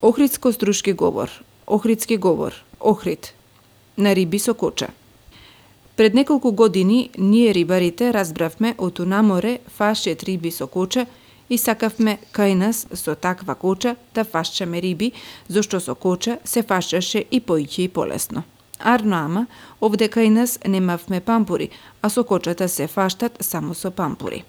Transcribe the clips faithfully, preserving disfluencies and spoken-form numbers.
Охридско-струшки говор, охридски говор, охрид, на риби со коча. Пред неколку години ние рибарите разбравме од на море фашчет риби со коча и сакавме кај нас со таква коча да фашчаме риби, зашто со коча се фашчаше и поиќе и полесно. Арно ама, овде кај нас немавме пампури, а со кочата се фаштат само со пампури.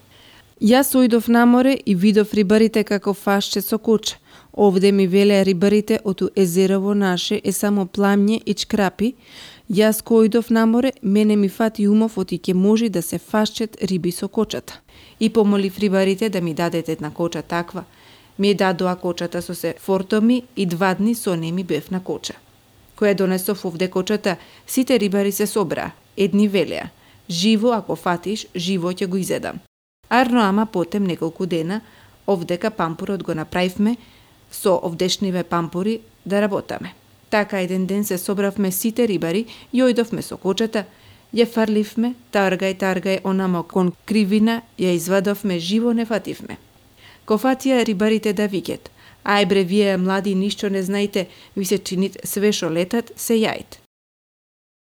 Јас ојдов на море и видов рибарите како фашче со коча. Овде ми велеа рибарите оту езерово наше е само пламње и чкрапи. Јас кој ојдов на море, мене ми фати умов оти ќе може да се фашчет риби со кочата. И помолив рибарите да ми дадат една коча таква. Ми дадоа кочата со се фортоми и два дни со не ми бев на коча. Која донесов овде кочата, сите рибари се собраа. Едни велеа: живо ако фатиш, живо ќе го изедам. Арно ама потем неколку дена, овдека пампурот го направивме со овдешниве пампури да работаме. Така еден ден се собравме сите рибари и ојдовме со кочата, ја фарливме, таргај, таргај, онамо кон кривина, ја извадовме, живо не фативме. Ко фатија рибарите да викет: ај бре, вие млади ништо не знаете, ви се чинит све шо летат, се јајт.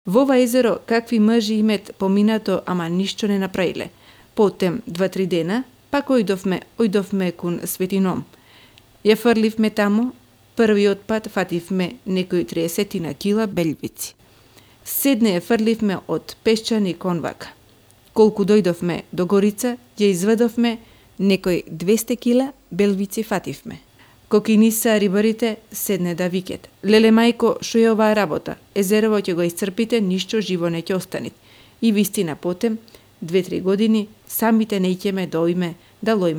Во ова езеро какви мъжи имет поминато, ама ништо не направиле. Потем два-три дена, пак ојдовме, ојдовме кон Светином. Ја фрливме тамо, првиот пат фативме некои триесет на кила белвици. Седне ја фрливме од пешчани конвак. Колку дојдовме до Горица, ја извадовме некои двесте кила белвици фативме. Кокини са рибарите, седне да викет: леле мајко, шо е оваа работа? Езерово ќе го исцрпите, ништо живо не ќе останит. И вистина потем, две-три години, самите неќеме доиме да лоиме